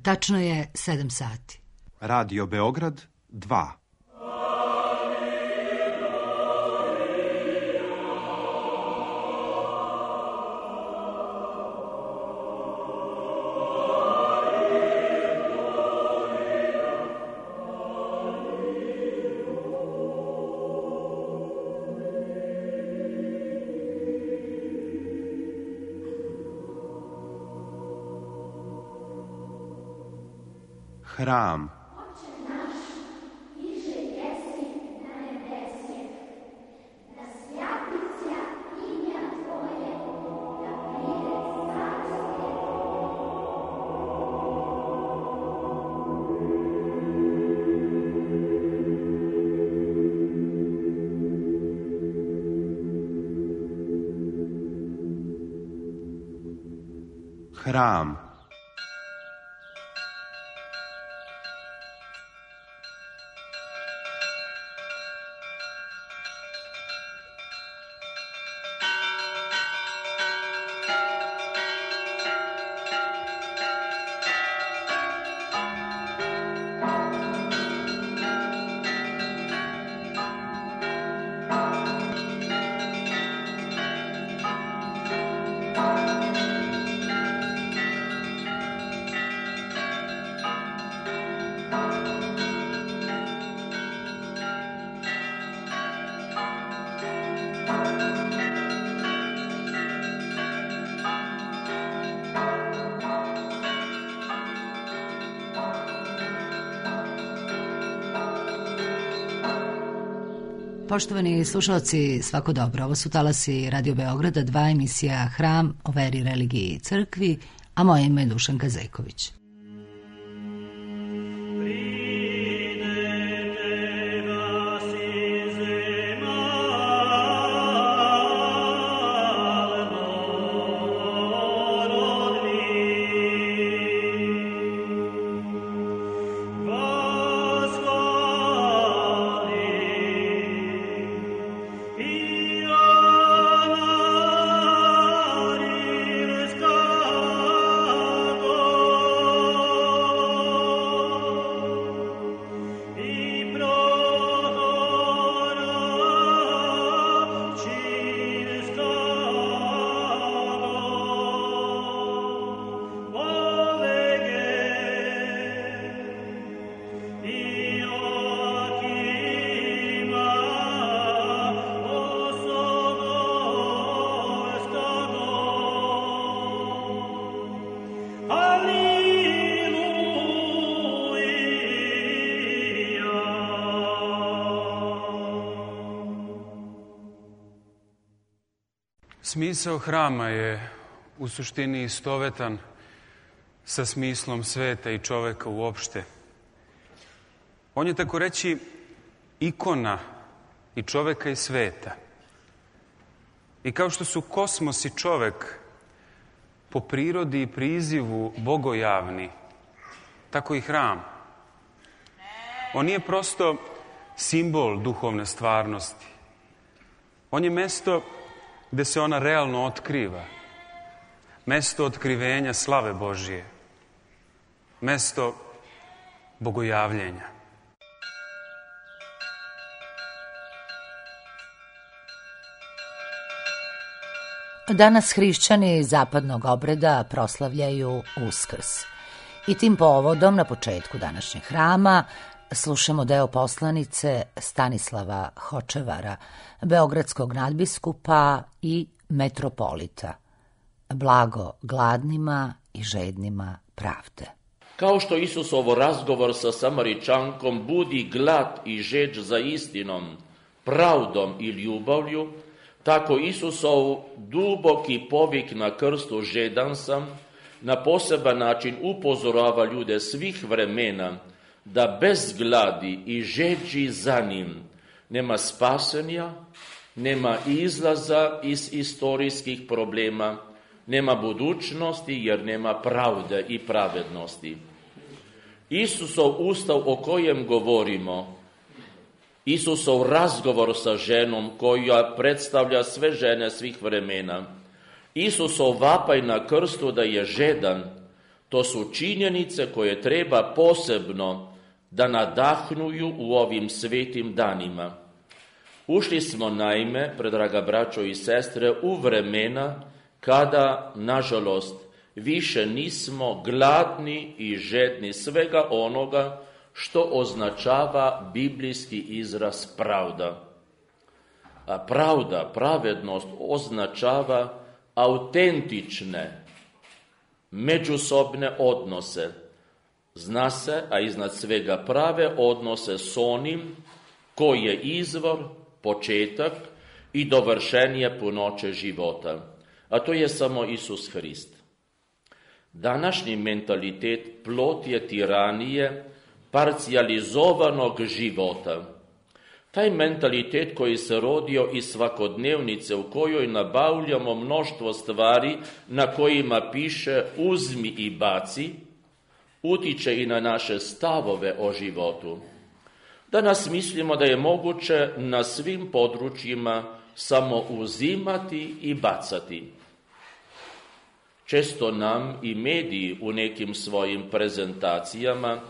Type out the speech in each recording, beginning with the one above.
Tačno je 7 sati. Radio Beograd 2. Hram. Hram. Poštovani slušalci, svako dobro. Ovo su talasi Radio Beograda 2, emisija Hram o veri, religiji i crkvi, a moje ime je Dušanka Zejković. Smisao hrama je u suštini istovetan sa smislom sveta i čoveka uopšte. On je, tako reći, ikona i čoveka i sveta. I kao što su kosmos i čovek po prirodi i prizivu bogojavni, tako i hram. On nije prosto simbol duhovne stvarnosti. On je mesto gde se ona realno otkriva. Mesto otkrivenja slave Božije. Mesto bogojavljenja. Danas hrišćani zapadnog obreda proslavljaju Uskrs. I tim povodom na početku današnjeg hrama slušamo deo poslanice Stanislava Hočevara, beogradskog nadbiskupa i metropolita. Blago gladnima i žednima pravde. Kao što Isusov razgovor sa Samaričankom budi glad i žeđ za istinom, pravdom i ljubavlju, tako Isusov duboki povik na krstu žedan sam na poseban način upozorava ljude svih vremena da bez gladi i žeđi za njim nema spasenja, nema izlaza iz istorijskih problema, nema budućnosti jer nema pravde i pravednosti. Isusov ustav o kojem govorimo, Isusov razgovor sa ženom koja predstavlja sve žene svih vremena, Isusov vapaj na krstu da je žedan, To su činjenice koje treba posebno da nadahnuju u ovim svetim danima. Ušli smo naime, predraga braćo i sestre, u vremena kada, nažalost, više nismo gladni i žedni svega onoga što označava biblijski izraz pravda. A pravda, pravednost označava autentične, međusobne odnose. Zna se, a iznad svega prave odnose s onim koji je izvor, početak i dovršenje punoće života. A to je samo Isus Hrist. Današnji mentalitet plod je tiranije parcijalizovanog života. Taj mentalitet koji se rodio iz svakodnevnice u kojoj nabavljamo mnoštvo stvari na kojima piše uzmi i baci, utiče i na naše stavove o životu. Danas mislimo da je moguće na svim područjima samo uzimati i bacati. Često nam i mediji u nekim svojim prezentacijama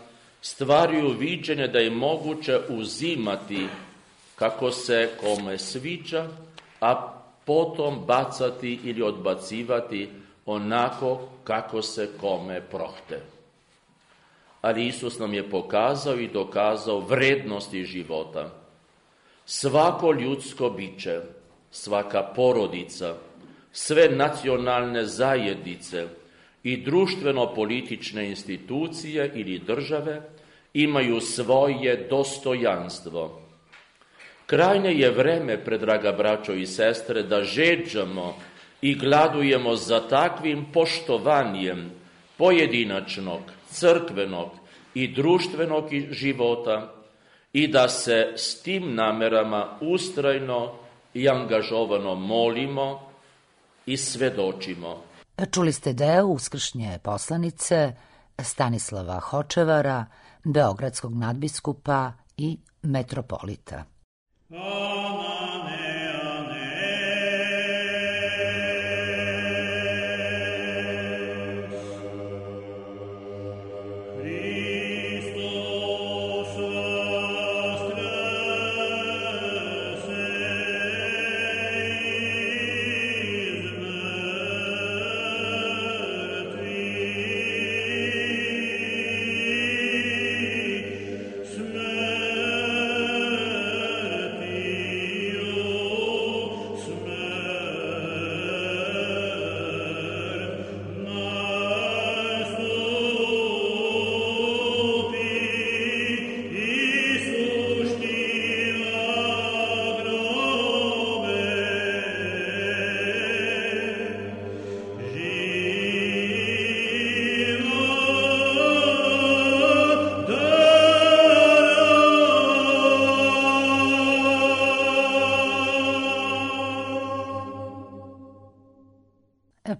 stvaraju viđenje da je moguće uzimati kako se kome sviđa, a potom bacati ili odbacivati onako kako se kome prohte. Ali Isus nam je pokazao i dokazao vrednosti života. Svako ljudsko biće, svaka porodica, sve nacionalne zajednice i društveno-politične institucije ili države imaju svoje dostojanstvo. Krajnje je vreme, predraga braćo i sestre, da žeđamo i gladujemo za takvim poštovanjem pojedinačnog, crkvenog i društvenog života i da se s tim namerama ustrajno i angažovano molimo i svedočimo. Čuli ste deo uskršnje poslanice Stanislava Hočevara, beogradskog nadbiskupa i metropolita.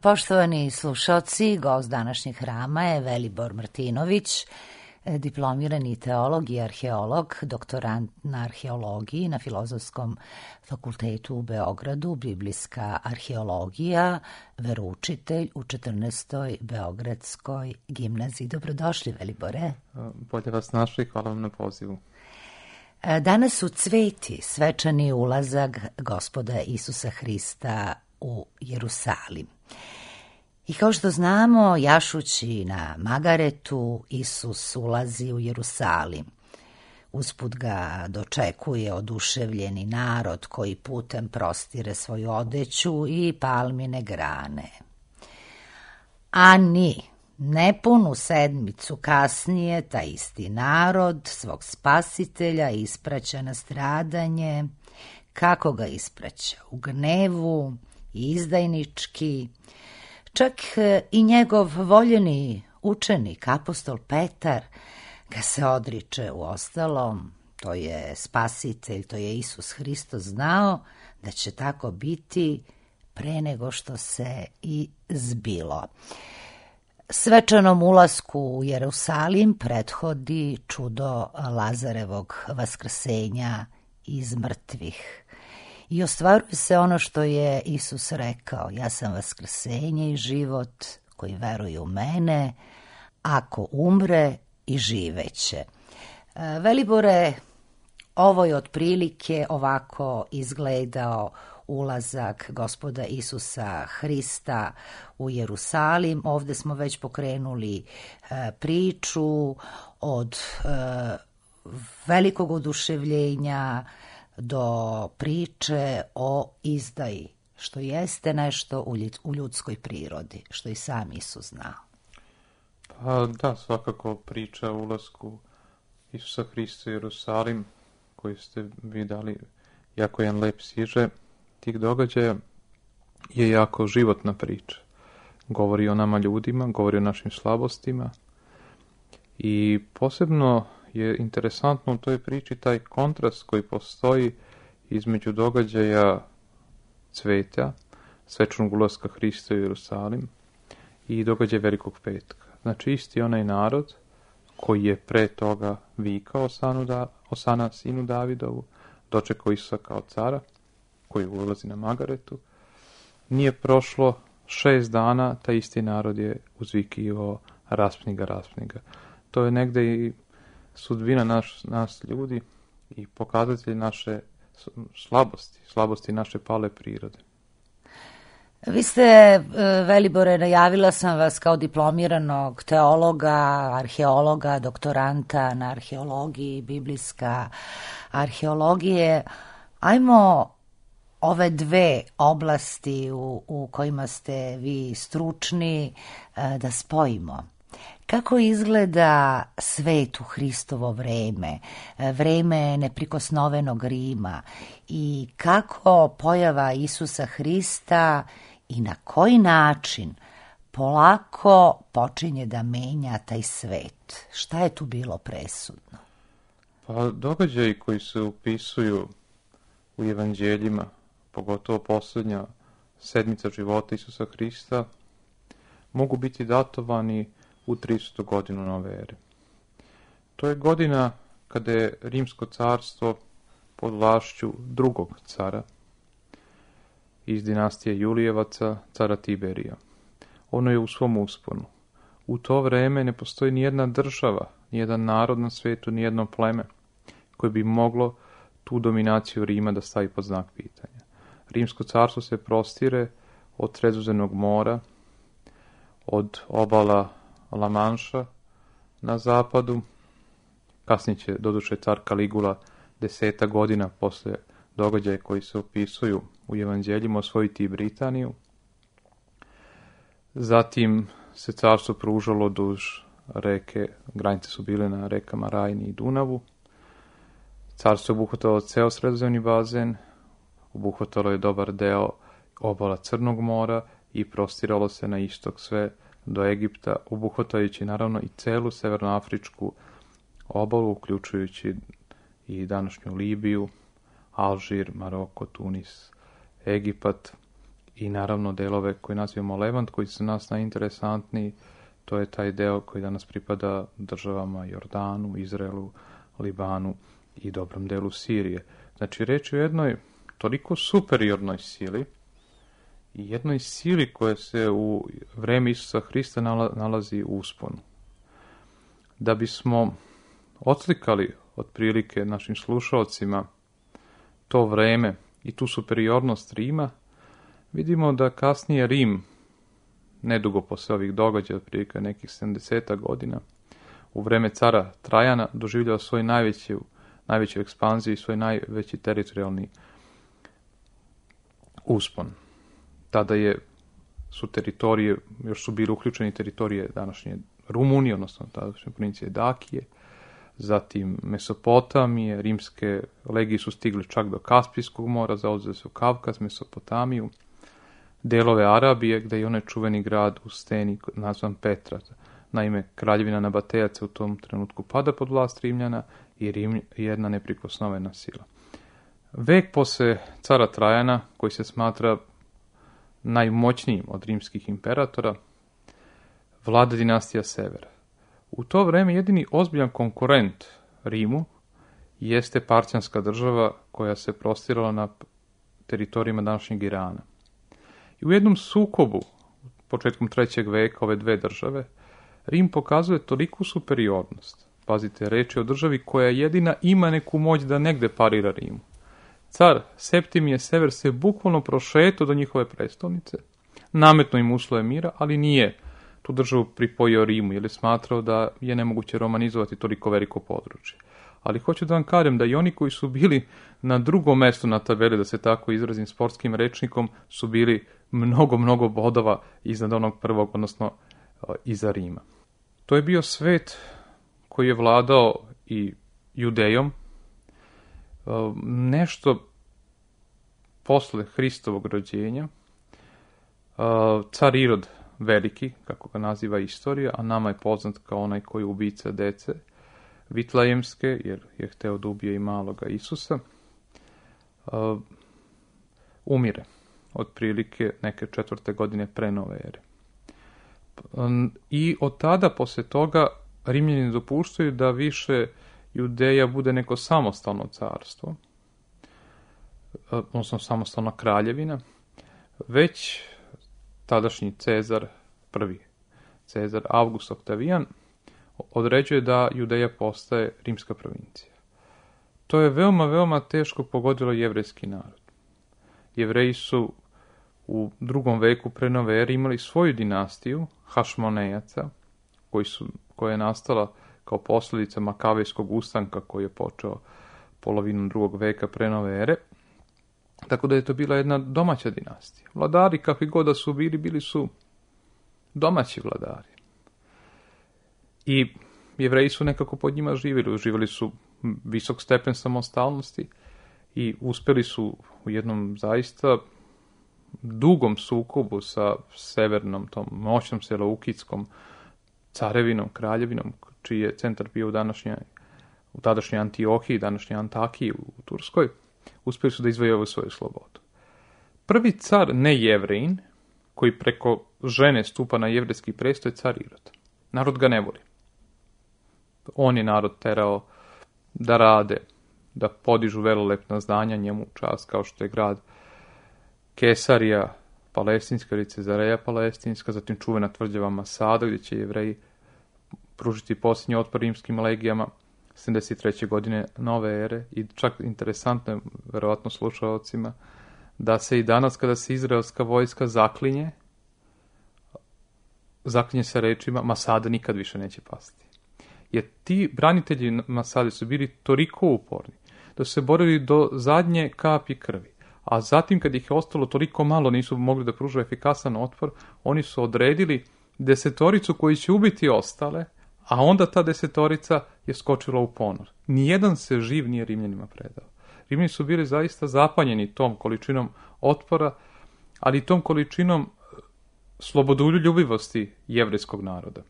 Poštovani slušaoci, gost današnjeg hrama je Velibor Martinović, diplomirani teolog i arheolog, doktorant na arheologiji na Filozofskom fakultetu u Beogradu, biblijska arheologija, veroučitelj u 14. Beogradskoj gimnaziji. Dobrodošli, Velibore. Bolje vas našli, hvala vam na pozivu. Danas su cveti svečani ulazak Gospoda Isusa Hrista u Jerusalim. I kao što znamo, jašući na magaretu, Isus ulazi u Jerusalim. Usput ga dočekuje oduševljeni narod koji putem prostire svoju odeću i palmine grane. A nepunu sedmicu kasnije, taj isti narod svog spasitelja ispraća na stradanje. Kako ga ispraća? U gnevu, izdajnički. Čak i njegov voljeni učenik, apostol Petar, ga se odriče. Uostalom, to je spasitelj, to je Isus Hristos znao da će tako biti pre nego što se i zbilo. Svečanom ulasku u Jerusalim prethodi čudo Lazarevog vaskrsenja iz mrtvih. I ostvaruje se ono što je Isus rekao: ja sam vaskrsenje i život, koji veruje u mene, ako umre i živeće. Velibore, ovo je otprilike ovako izgledao ulazak Gospoda Isusa Hrista u Jerusalim. Ovdje smo već pokrenuli priču od velikog oduševljenja do priče o izdaji, što jeste nešto u ljudskoj prirodi, što i sam Isus znao. Pa da, svakako priča o ulasku Isusa Hrista u Jerusalim, koji ste vi dali jako jedan lep siže tih događaja, je jako životna priča. Govori o nama ljudima, govori o našim slabostima i posebno je interesantno u toj priči taj kontrast koji postoji između događaja cveta, svečanog ulaska Hrista u Jerusalim i događaja Velikog petka. Znači isti onaj narod koji je pre toga vikao Osana sinu Davidovu, dočekao Isusa kao cara, koji ulazi na Magaretu. Nije prošlo 6 dana, taj isti narod je uzvikivao raspni ga. To je negde i sudbina nas ljudi i pokazatelj naše slabosti naše pale prirode. Vi ste, Velibore, najavila sam vas kao diplomiranog teologa, arheologa, doktoranta na arheologiji, biblijska arheologije. Ajmo ove dve oblasti u kojima ste vi stručni da spojimo. Kako izgleda svet u Hristovo vreme, vreme neprikosnovenog Rima i kako pojava Isusa Hrista i na koji način polako počinje da menja taj svet? Šta je tu bilo presudno? Pa događaji koji se upisuju u evanđeljima, pogotovo posljednja sedmica života Isusa Hrista, mogu biti datovani u 300. godinu nove ere. To je godina kada je Rimsko carstvo pod vlašću drugog cara iz dinastije Julijevaca, cara Tiberija. Ono je u svom usponu. U to vreme ne postoji nijedna država, nijedan narod na svijetu, nijedno pleme koje bi moglo tu dominaciju Rima da stavi pod znak pitanja. Rimsko carstvo se prostire od Sredozemnog mora, od obala La Manša na zapadu. Kasnije će, doduše, car Kaligula 10 godina posle događaja koji se opisuju u evanđeljima osvojiti i Britaniju. Zatim se carstvo pružalo duž reke, granice su bile na rekama Rajni i Dunavu. Carstvo je obuhvatalo ceo sredozemni bazen, obuhvatalo je dobar deo obala Crnog mora i prostiralo se na istok sve do Egipta, obuhvatajući naravno i celu severnoafričku obalu, uključujući i današnju Libiju, Alžir, Maroko, Tunis, Egipat i naravno delove koje nazivamo Levant, koji su nas najinteresantniji. To je taj deo koji danas pripada državama Jordanu, Izraelu, Libanu i dobrom delu Sirije. Znači, reč je o jednoj toliko superiornoj sili i jednoj sili koja se u vreme Isusa Hrista nalazi u usponu. Da bismo odslikali otprilike našim slušalcima to vreme i tu superiornost Rima, vidimo da kasnije Rim, nedugo posle ovih događaja, otprilike nekih 70 godina, u vreme cara Trajana doživljava svoju najveću ekspanziju i svoj najveći teritorijalni uspon. Tada su teritorije, još su bili uključeni teritorije današnje Rumunije, odnosno tadašnje provincije Dakije, zatim Mesopotamije, rimske legije su stigli čak do Kaspijskog mora, zauzeli su Kavkaz, Mesopotamiju, delove Arabije, gde je onaj čuveni grad u steni nazvan Petra. Naime, kraljevina Nabatejaca u tom trenutku pada pod vlast Rimljana i Rim je jedna neprikosnovena sila. Vek posle cara Trajana, koji se smatra najmoćnijim od rimskih imperatora, vlada dinastija Severa. U to vreme jedini ozbiljan konkurent Rimu jeste Parćanska država koja se prostirala na teritorijima današnjeg Irana. I u jednom sukobu, početkom 3. veka, ove dve države, Rim pokazuje toliku superiornost. Pazite, reč je o državi koja jedina ima neku moć da negde parira Rimu. Car Septimije Sever se bukvalno prošetao do njihove prestolnice, nametno im uslove mira, ali nije tu državu pripojio Rimu, jer je smatrao da je nemoguće romanizovati toliko veliko područje. Ali hoću da vam kažem da i oni koji su bili na drugom mestu na tabeli, da se tako izrazim sportskim rečnikom, su bili mnogo bodova iznad onog prvog, odnosno iza Rima. To je bio svet koji je vladao i Judejom. Nešto posle Hristovog rođenja, car Irod Veliki, kako ga naziva istorija, a nama je poznat kao onaj koji je ubica dece Vitlajemske, jer je hteo da ubije i maloga Isusa, umire otprilike neke 4. godine pre nove ere. I od tada, posle toga, Rimljani dopuštaju da više Judeja bude neko samostalno carstvo, odnosno samostalna kraljevina, već tadašnji Cezar, prvi Cezar August Octavian, određuje da Judeja postaje rimska provincija. To je veoma teško pogodilo jevrejski narod. Jevreji su u 2. veku pre nove ere imali svoju dinastiju Hašmonejaca, koja je nastala kao posljedica Makavejskog ustanka koji je počeo polovinom 2. veka pre nove ere. Tako da je to bila jedna domaća dinastija. Vladari, kakvi god da su bili su domaći vladari. I Jevreji su nekako pod njima živjeli. Uživali su visok stepen samostalnosti i uspjeli su u jednom zaista dugom sukobu sa severnom, tom moćnom seleukijskom carevinom, kraljevinom, čiji je centar bio u tadašnjoj Antiohiji, današnjoj Antakiji u Turskoj, uspjeli su da izvojevaju svoju slobodu. Prvi car nejevrejin, koji preko žene stupa na jevrejski prestol, je car Irod. Narod ga ne voli. On je narod terao da rade, da podižu velelepna zdanja njemu u čast, kao što je grad Kesarija Palestinska ili Cezareja Palestinska, zatim čuvena tvrđava Masada, gdje će Jevreji pružiti posljednji otpor rimskim legijama 73. godine nove ere. I čak interesantno je, verovatno slušalcima, da se i danas kada se izraelska vojska zaklinje se rečima Masada nikad više neće pasti. Jer ti branitelji Masade su bili toliko uporni da su se borili do zadnje kapi krvi. A zatim, kad ih je ostalo toliko malo, nisu mogli da pružu efikasan otpor, oni su odredili 10 koji će ubiti ostale, a onda ta 10 je skočila u ponor. Nijedan se živ nije Rimljanima predao. Rimljani su bili zaista zapanjeni tom količinom otpora, ali i tom količinom slobodoljubivosti jevrejskog naroda.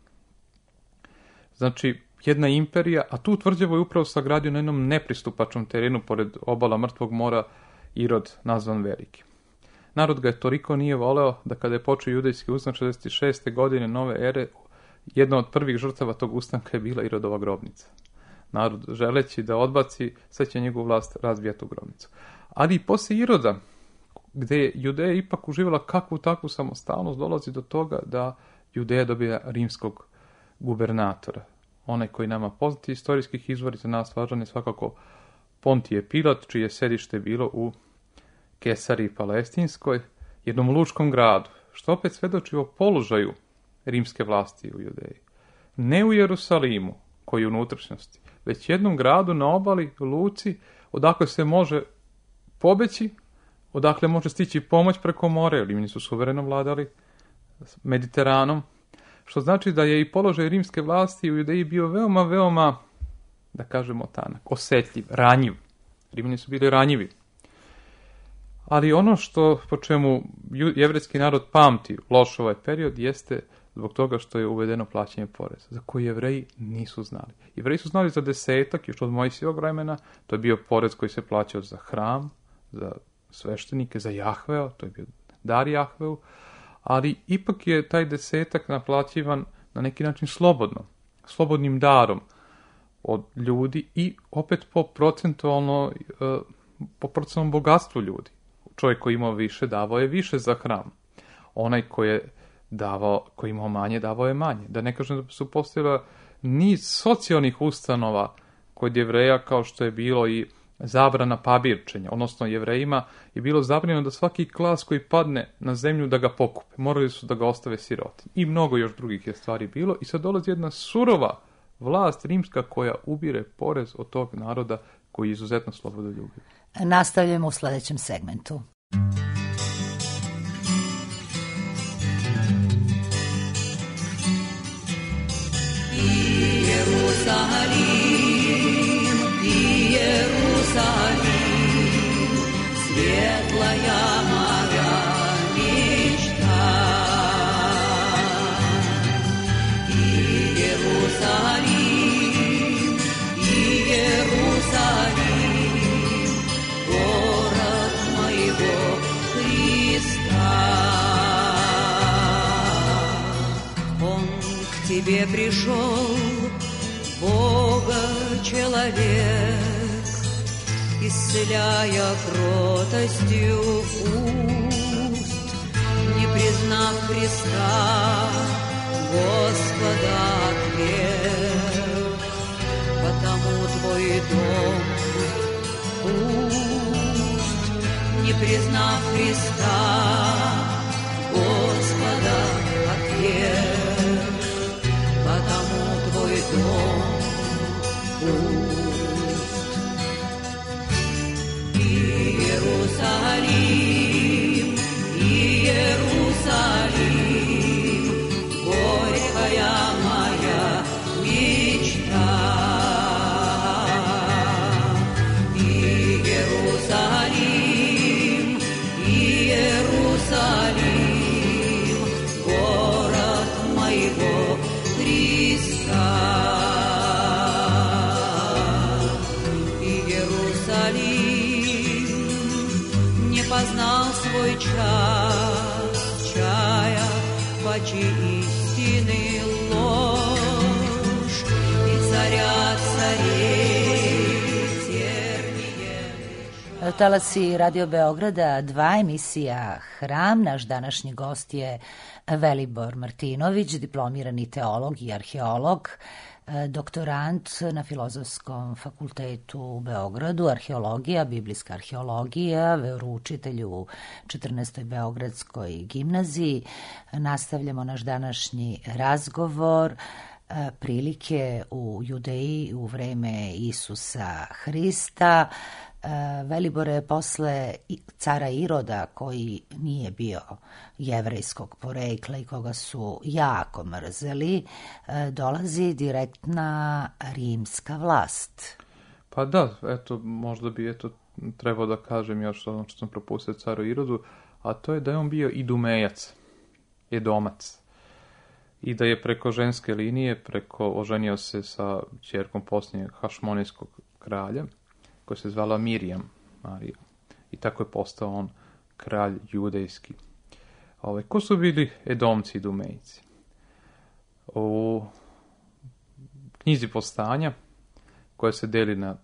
Znači, jedna imperija, a tu tvrđavu je upravo sagradio na jednom nepristupačnom terenu pored obala Mrtvog mora Irod, nazvan Veliki. Narod ga je toliko nije voleo da kada je počeo judejski ustanak 66. godine nove ere, jedna od prvih žrtava tog ustanka je bila Irodova grobnica. Narod, želeći da odbaci, sad će njegovu vlast razbijati tu grobnicu. Ali i poslije Iroda, gdje je Judeja ipak uživala kakvu takvu samostalnost, dolazi do toga da Judeja dobija rimskog gubernatora. Onaj koji nama poznati istorijskih izvora za nas važan je svakako Pontije Pilat, čije sedište bilo u Kesariji Palestinskoj, jednom lučkom gradu, što opet svedoči o položaju rimske vlasti u Judeji. Ne u Jerusalimu, koji je u unutrašnjosti, već jednom gradu na obali, luci, odakle se može pobeći, odakle može stići pomoć preko mora, jer Rimljani su suvereno vladali Mediteranom, što znači da je i položaj rimske vlasti u Judeji bio veoma, da kažemo tanak, osjetljiv, ranjiv. Rimljani su bili ranjivi. Ali ono što po čemu jevrejski narod pamti loš ovaj period jeste zbog toga što je uvedeno plaćanje poreza, za koji Jevreji nisu znali. Jevreji su znali za 10, još od Mojsijevog vremena, to je bio porez koji se plaćao za hram, za sveštenike, za Jahveo, to je bio dar Jahveu, ali ipak je taj 10 naplaćivan na neki način slobodnim darom od ljudi i opet po procentualnom bogatstvu ljudi. Čovjek koji imao više, davao je više za hram. Onaj koji je ko je imao manje, davao je manje. Da ne kažem da su postojala niz socijalnih ustanova kod Jevreja, kao što je bilo i zabrana pabirčenja, odnosno Jevrejima je bilo zabranjeno da svaki klas koji padne na zemlju da ga pokupe. Morali su da ga ostave siroti. I mnogo još drugih je stvari bilo. I sad dolazi jedna surova vlast rimska koja ubire porez od tog naroda koji je izuzetno slobodoljubiv. Nastavljamo u sljedećem segmentu. Jerusalim, svijetlaya moja mičta. I Jerusalim, город моего Христа. Он к тебе пришел, Бога человек, исцеляя кротостью уст, не признав Христа, Господа отверг. Потому твой дом пуст, не признав Христа, Господа отверг. Потому твой дом пуст. Иерусалим, Иерусалим, горькая моя мечта. Иерусалим, Иерусалим, город моего Христа. Познал свой час, чая пачи истины ложь, и царя царей тернije. Talasi Radio Beograda, 2 emisija Hram. Naš današnji gost je Velibor Martinović, diplomirani teolog i arheolog, doktorant na Filozofskom fakultetu u Beogradu, arheologija, biblijska arheologija, veroučitelj u 14. Beogradskoj gimnaziji. Nastavljamo naš današnji razgovor, prilike u Judeji u vreme Isusa Hrista. Velibore, posle cara Iroda, koji nije bio jevrejskog porekla i koga su jako mrzeli, dolazi direktna rimska vlast. Pa da, eto, možda bi trebao da kažem još ono što sam propustio caru Irodu, a to je da je on bio idumejac, edomac. I da je preko ženske linije, oženio se sa ćerkom posljednjeg hašmonijskog kralja, koja se zvala Mirjam, Marija. I tako je postao on kralj judejski. Ko su bili Edomci i Idumejci? U knjizi Povstanja, koja se deli na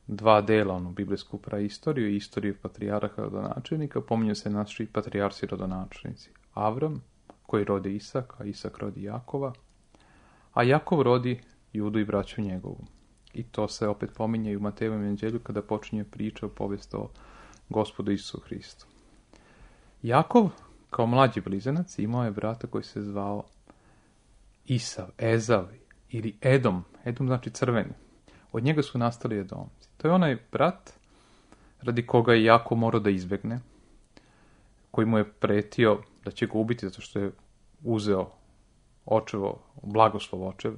2 dela, biblijsku praistoriju i istoriju patrijarha rodonačelnika, pominju se naši patrijarsi rodonačelnici. Avram, koji rodi Isaka, Isak rodi Jakova, a Jakov rodi Judu i braću njegovu. I to se opet pominje i u Matejevom evanđelju kada počinje priča o povijesti o Gospodu Isusu Hristu. Jakov, kao mlađi blizanac, imao je brata koji se zvao Isav, Ezav ili Edom. Edom znači crveni. Od njega su nastali Edomci. To je onaj brat radi koga je Jakov morao da izbegne, koji mu je pretio da će ga ubiti zato što je uzeo blagoslov očev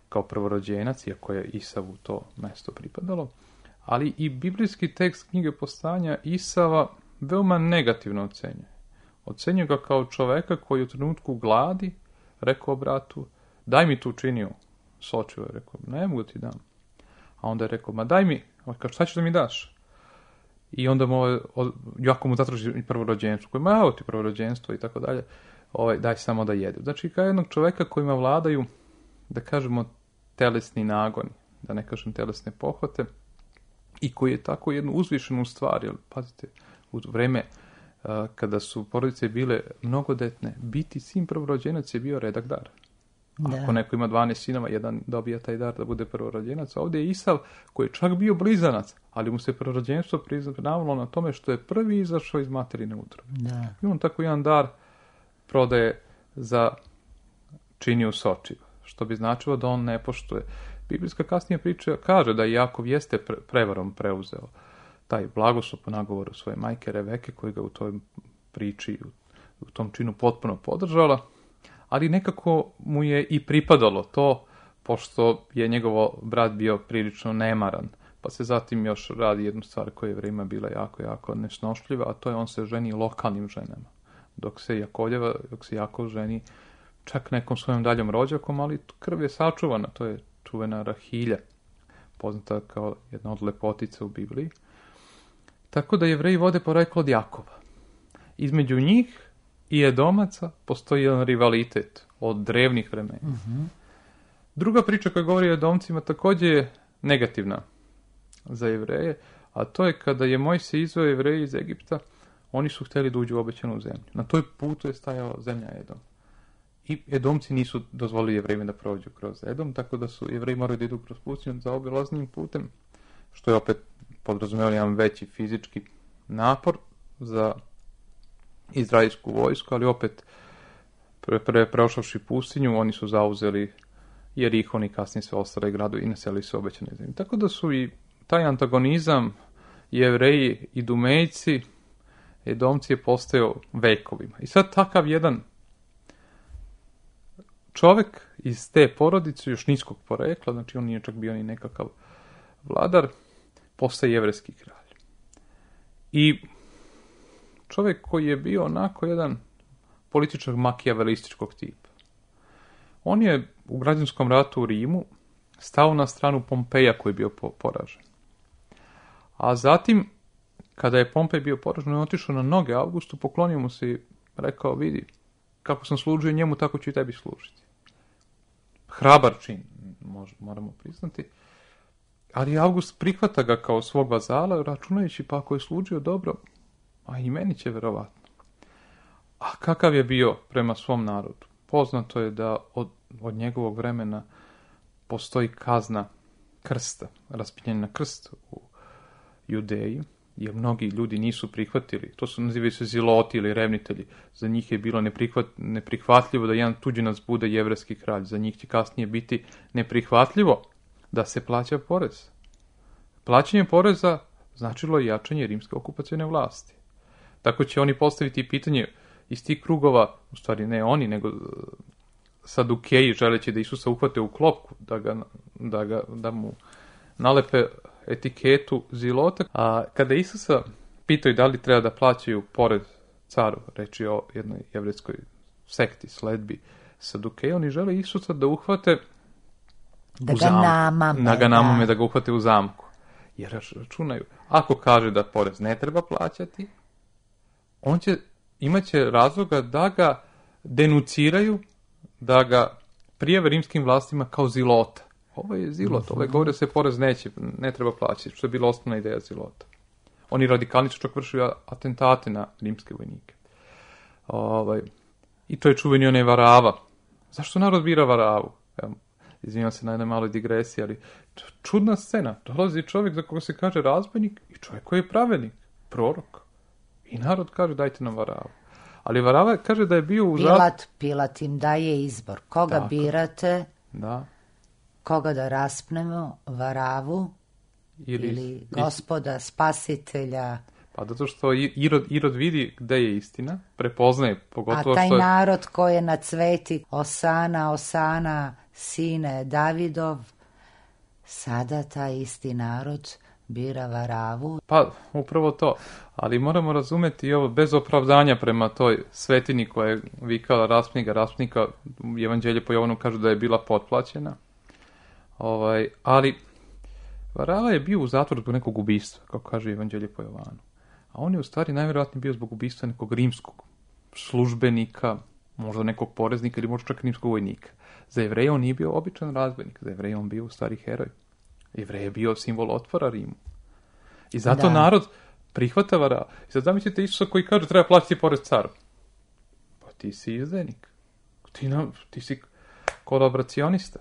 kao prvorođenac, iako je Isavu to mesto pripadalo. Ali i biblijski tekst knjige Povstanja Isava veoma negativno ocenjuje. Ocenjuje ga kao čoveka koji u trenutku gladi rekao bratu, daj mi tu činiju sočivo. Je rekao, ne mogu ti dam. A onda je rekao, ma daj mi, šta ćeš da mi daš? I onda jako mu zatraži prvorođenstvo, koji ima, evo ti prvorođenstvo i tako dalje, daj samo da jede. Znači, kao jednog čoveka kojima vladaju, da kažemo, telesni nagoni, da ne kažem telesne pohote, i koji je tako jednu uzvišenu stvar, jer, pazite, u vreme kada su porodice bile mnogodetne, biti sin prvorođenac je bio redak dar. Ako neko ima 12 sinova, jedan dobija taj dar da bude prvorođenac. Ovdje je Isav koji je čak bio blizanac, ali mu se prvorođenstvo priznavalo na tome što je prvi izašao iz materine utrobe. I on tako jedan dar prodaje za činiju sočiva, što bi značilo da on ne poštuje. Biblijska kasnije priča kaže da Jakov jeste prevarom preuzeo taj blagoslov po nagovoru svoje majke Reveke, koja ga u toj priči, u tom činu potpuno podržala, ali nekako mu je i pripadalo to, pošto je njegov brat bio prilično nemaran, pa se zatim još radi jednu stvar koja je vremena bila jako nesnošljiva, a to je on se ženi lokalnim ženama, dok se Jakov ženi čak nekom svojom daljom rođakom, ali krv je sačuvana, to je čuvena Rahilja, poznata kao jedna od lepotica u Bibliji. Tako da Jevreji vode poreklo od Jakova. Između njih i Edomaca postoji jedan rivalitet od drevnih vremena. Druga priča koja govori o Edomcima također je negativna za Jevreje, a to je kada je Mojsije izveo Jevreje iz Egipta, oni su htjeli da uđu u obećanu zemlju. Na toj putu je stajala zemlja Edom. I Edomci nisu dozvolili Jevrejima da prođu kroz Edom, tako da su Jevreji morali da idu kroz pustinju za obilaznim putem, što je opet podrazumijelo jedan veći fizički napor za izraelsku vojsku, ali opet prošavši pustinju, oni su zauzeli Jerihon i kasnije sve ostale gradovi i naselili se obećane zemlje. Tako da su i taj antagonizam Jevreji i Dumejci, Edomci je postao vekovima. I sad takav jedan čovjek iz te porodice, još niskog porekla, znači on nije čak bio ni nekakav vladar, postaje jevrejski kralj. I čovjek koji je bio onako jedan političar makijavelističkog tipa. On je u građanskom ratu u Rimu stao na stranu Pompeja koji je bio poražen. A zatim, kada je Pompej bio poražen, on je otišao na noge Augustu, poklonio mu se i rekao, vidi, kako sam služio njemu, tako ću i tebi služiti. Hrabar čin, moramo priznati. Ali August prihvata ga kao svog vazala, računajući pa ako je služio dobro, a i meni će verovatno. A kakav je bio prema svom narodu? Poznato je da od njegovog vremena postoji kazna krsta, raspinjanje na krst u Judeji, jer mnogi ljudi nisu prihvatili. To su nazivaju se ziloti ili revnitelji. Za njih je bilo neprihvatljivo da jedan tuđinac bude jevrejski kralj. Za njih će kasnije biti neprihvatljivo da se plaća porez. Plaćanje poreza značilo je jačanje rimske okupacione vlasti. Tako će oni postaviti pitanje iz tih krugova, u stvari ne oni, nego Sadukeji, želeći da Isusa uhvate u klopku, da mu nalepe etiketu zilota. A kada Isusa pitaju da li treba da plaćaju porez caru, reći o jednoj jevrejskoj sekti, sledbi Sadukeji, oni žele Isusa da uhvate da ga namame, da ga uhvate u zamku. Jer računaju, ako kaže da porez ne treba plaćati, imat će razloga da ga denuciraju, da ga prijave rimskim vlastima kao zilota. Ovo je zilot, ovo je govore da se porez ne treba plaćati, što je bila osnovna ideja zilota. Oni radikalni su čak vršili atentate na rimske vojnike. I to je čuveni onaj Varava. Zašto narod bira Varavu? Izvinjam se na jednoj maloj digresiji, ali čudna scena. Dolazi čovjek za koga se kaže razbojnik i čovjek koji je pravednik, prorok. I narod kaže dajte nam Varavu. Ali Varava kaže da je bio u Pilat im daje izbor. Koga tako birate? Da. Koga da raspnemo? Varavu ili Gospoda, spasitelja? Pa zato što Irod vidi gde je istina, prepoznaje pogotovo a taj narod koji je na cveti Osana, sine Davidov, sada taj isti narod bira Varavu. Pa, upravo to. Ali moramo razumeti i ovo bez opravdanja prema toj svetini koja je vikala raspnika. Evanđelje po Jovanu kaže da je bila potplaćena. Ali Varava je bio u zatvoru zbog nekog ubistva, kako kaže Evanđelje po Jovanu. A on je u stvari najvjerojatnije bio zbog ubistva nekog rimskog službenika, možda nekog poreznika ili možda čak rimskog vojnika. Za Jevreje on nije bio običan razbojnik, za Jevreje on bio u stvari heroj. Jevrej je bio simbol otpora Rimu. I zato narod prihvata vara. I sad zamislite Isusa koji kaže treba platiti porez caru. Pa ti si izdajnik. Ti si kolaboracionista.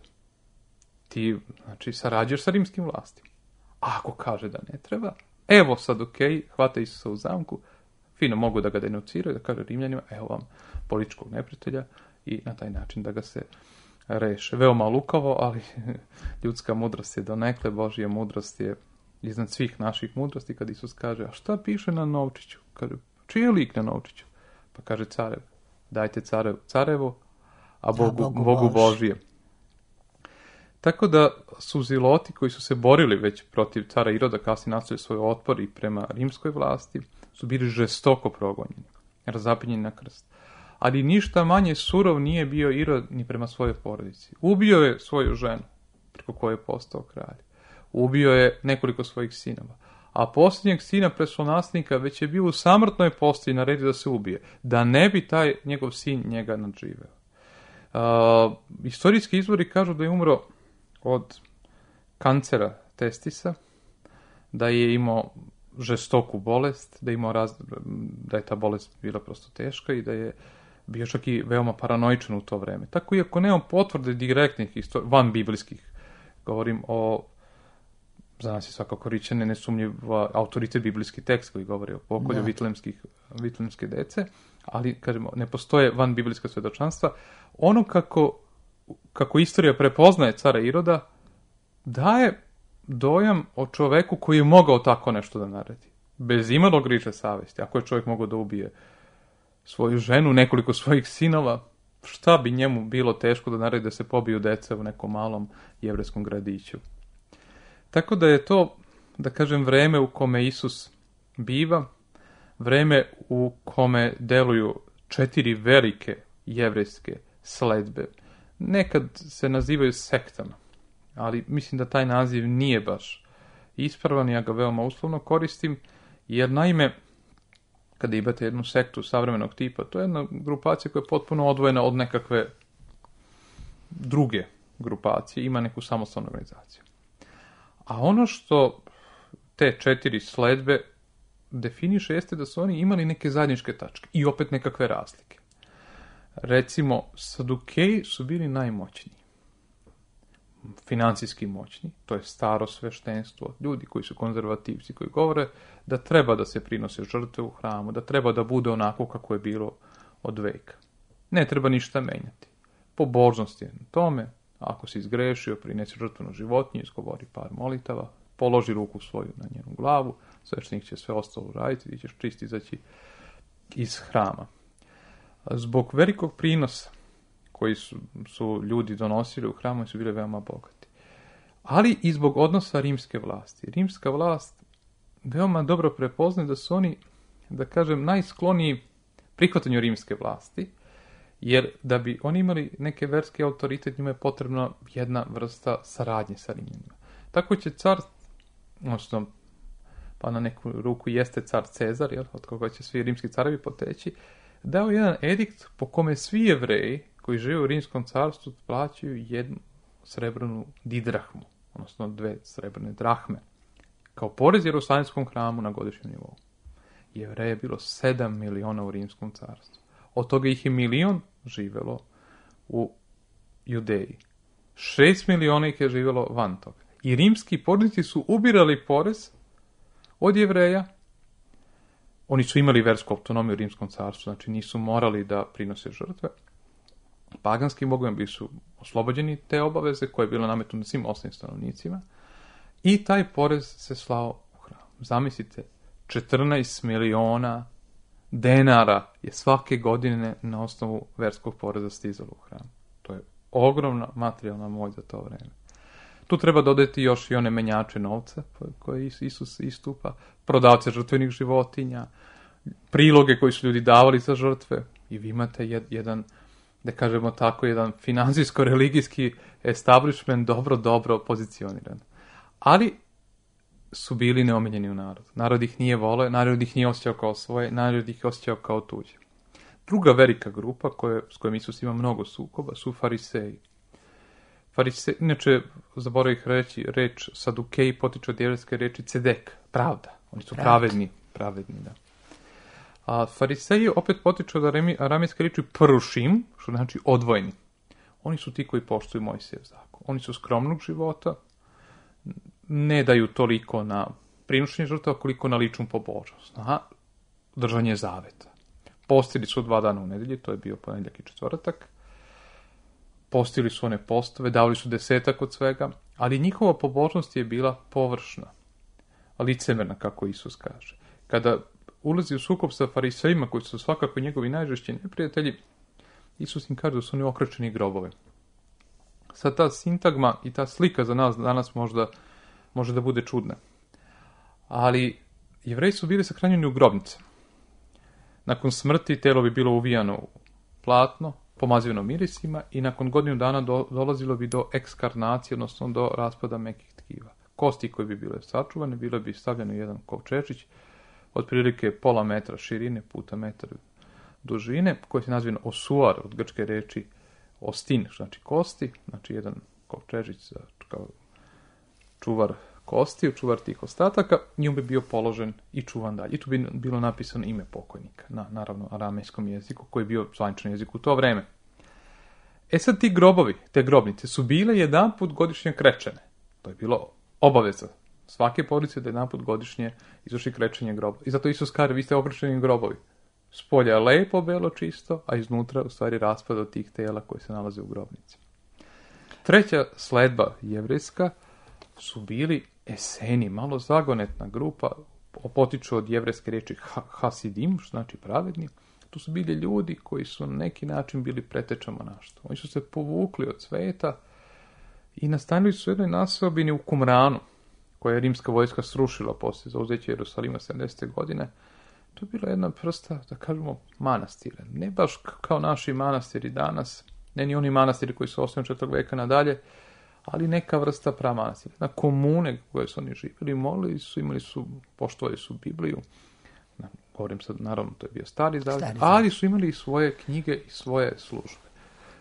Ti, znači, sarađuješ sa rimskim vlastima. A ako kaže da ne treba, evo sad hvata Isusa u zamku, fino mogu da ga denuciraju, da kaže Rimljanima, evo vam političkog neprijatelja i na taj način da ga se reše. Veoma lukavo, ali ljudska mudrost je donekle, Božja mudrost je iznad svih naših mudrosti, kad Isus kaže, a šta piše na novčiću? Kaže, čiji je lik na novčiću? Pa kaže carev, dajte carevo, a Bogu Božije. Tako da su Ziloti koji su se borili već protiv cara Iroda, kasnije nastavili svoj otpor i prema rimskoj vlasti, su bili žestoko progonjeni, razapinjeni na krst. Ali ništa manje surov nije bio Irod ni prema svojoj porodici. Ubio je svoju ženu, preko koje je postao kralj. Ubio je nekoliko svojih sinova. A posljednjeg sina prestolonaslednika već je bio u samrtnoj postaji naredio da se ubije, da ne bi taj njegov sin njega nadživeo. Istorijski izvori kažu da je umro od kancera testisa, da je imao žestoku bolest, da je ta bolest bila prosto teška i da je bio čak i veoma paranoičan u to vreme. Tako, iako nemam potvrde direktnih van biblijskih, govorim o, za nas je svakako ričane nesumnjiv autoritet biblijski tekst koji govori o pokolju vitlemske dece, ali, kažemo, ne postoje van biblijska svedočanstva. Ono kako istorija prepoznaje cara Iroda, daje dojam o čoveku koji je mogao tako nešto da naredi. Bez imalo griže savesti. Ako je čovjek mogao da ubije svoju ženu, nekoliko svojih sinova, šta bi njemu bilo teško da naredi da se pobiju deca u nekom malom jevrejskom gradiću. Tako da je to, da kažem, vreme u kome Isus biva, vreme u kome deluju 4 velike jevrejske sledbe. Nekad se nazivaju sektama, ali mislim da taj naziv nije baš ispravan, ja ga veoma uslovno koristim, jer naime, kada imate jednu sektu savremenog tipa, to je jedna grupacija koja je potpuno odvojena od nekakve druge grupacije, ima neku samostalnu organizaciju. A ono što te 4 sledbe definiše jeste da su oni imali neke zajedničke tačke i opet nekakve razlike. Recimo, Sadukeji su bili najmoćniji, financijski moćni, to je staro sveštenstvo, ljudi koji su konzervativci, koji govore da treba da se prinose žrtve u hramu, da treba da bude onako kako je bilo od veka. Ne treba ništa menjati. Pobožnost je na tome, ako si izgrešio, prinesi žrtvenu životinju, izgovori par molitava, položi ruku svoju na njenu glavu, sveštenik će sve ostalo raditi, ti ćeš čist izaći iz hrama. Zbog velikog prinosa koji su ljudi donosili u hramu su bili veoma bogati. Ali i zbog odnosa rimske vlasti. Rimska vlast veoma dobro prepoznaje da su oni, da kažem, najskloniji prihvatanju rimske vlasti, jer da bi oni imali neke verske autoritet, njima je potrebna jedna vrsta saradnje sa Rimljanima. Tako će car, odnosno, pa na neku ruku jeste car Cezar, od koga će svi rimski carevi poteći, dao jedan edikt po kome svi Jevreji koji žive u rimskom carstvu plaćaju 1 srebrnu didrahmu, odnosno 2 srebrne drahme, kao porez Jerusalimskom hramu na godišnjem nivou. Jevreja je bilo 7 miliona u rimskom carstvu. Od toga ih je 1 milion živelo u Judeji. 6 miliona ih je živelo van toga. I rimski pornici su ubirali porez od Jevreja. Oni su imali versku autonomiju u rimskom carstvu, znači nisu morali da prinose žrtve. Paganskim bogovima bili su oslobođeni te obaveze koje je bilo nametnuto svim ostalim stanovnicima i taj porez se slao u hram. Zamislite, 14 miliona denara je svake godine na osnovu verskog poreza stizalo u hram. To je ogromna materijalna moć za to vreme. Tu treba dodati još i one menjače novca koje Isus istupa, prodavce žrtvenih životinja, priloge koji su ljudi davali za žrtve i vi imate jedan, da kažemo tako, jedan finansijsko-religijski establishment dobro pozicioniran. Ali su bili neomiljeni u narodu. Narod ih nije voleo, narod ih nije osjećao kao svoje, narod ih osjećao kao tuđe. Druga velika grupa s kojom Isus ima mnogo sukoba su fariseji. Fariseji, inače, zaboravih reći, reč Sadukeji potiče od jevrejske reči cedek, pravda. Oni su pravedni, pravedni, da. A fariseji opet potiču od aramejske riječi prušim, što znači odvojeni. Oni su ti koji poštuju Mojsijev zakon. Oni su skromnog života, ne daju toliko na prinošenje žrtava koliko na ličnu pobožnost, na držanje zaveta. Postili su 2 dana u nedelji, to je bio ponedjeljak i četvrtak. Postili su one postove, davali su 10 od svega, ali njihova pobožnost je bila površna, licemerna, kako Isus kaže. Kada ulazi u sukob sa farisejima, koji su svakako njegovi najžešći neprijatelji, Isus im kaže da su oni okrečeni grobove. Sad ta sintagma i ta slika za nas danas može da bude čudna. Ali Jevreji su bili sahranjeni u grobnice. Nakon smrti telo bi bilo uvijano u platno, pomazivano mirisima i nakon godinu dana dolazilo bi do ekskarnacije, odnosno do raspada mekih tkiva. Kosti koje bi bile sačuvane, bile bi stavljene u jedan kovčečić, otprilike pola metra širine puta metar dužine, koji se naziva osuar, od grčke reči ostin, znači kosti, znači jedan kovčežić kao čuvar kosti, čuvar tih ostataka, njom bi bio položen i čuvan dalje. I tu bi bilo napisano ime pokojnika, na naravno aramejskom jeziku, koji je bio zvaničan jezik u to vreme. E sad ti grobovi, te grobnice, su bile jedanput godišnje krečene. To je bilo obaveza svake porodice da jedanput godišnje izvrši krečenje grobova. I zato Isus kaže, vi ste okrečeni grobovi. Spolja je lepo, belo, čisto, a iznutra u stvari raspad od tih tela koji se nalaze u grobnici. Treća sledba jevrejska su bili Eseni, malo zagonetna grupa, potiču od jevrejske riječi hasidim, što znači pravedni. Tu su bili ljudi koji su na neki način bili preteča monaštva. Oni su se povukli od sveta i nastanili su u jednoj naseobini u Kumranu, koja je rimska vojska srušila poslije zauzeća Jerusalima 70. godine. To je bila jedna vrsta, da kažemo, manastira. Ne baš kao naši manastiri danas, ne ni oni manastiri koji su osnovni 4. veka nadalje, ali neka vrsta pramanastira. Na komune koje su oni živjeli, molili su, poštovali su Bibliju. Govorim sad, naravno, to je bio stari zavet, ali su imali i svoje knjige i svoje službe.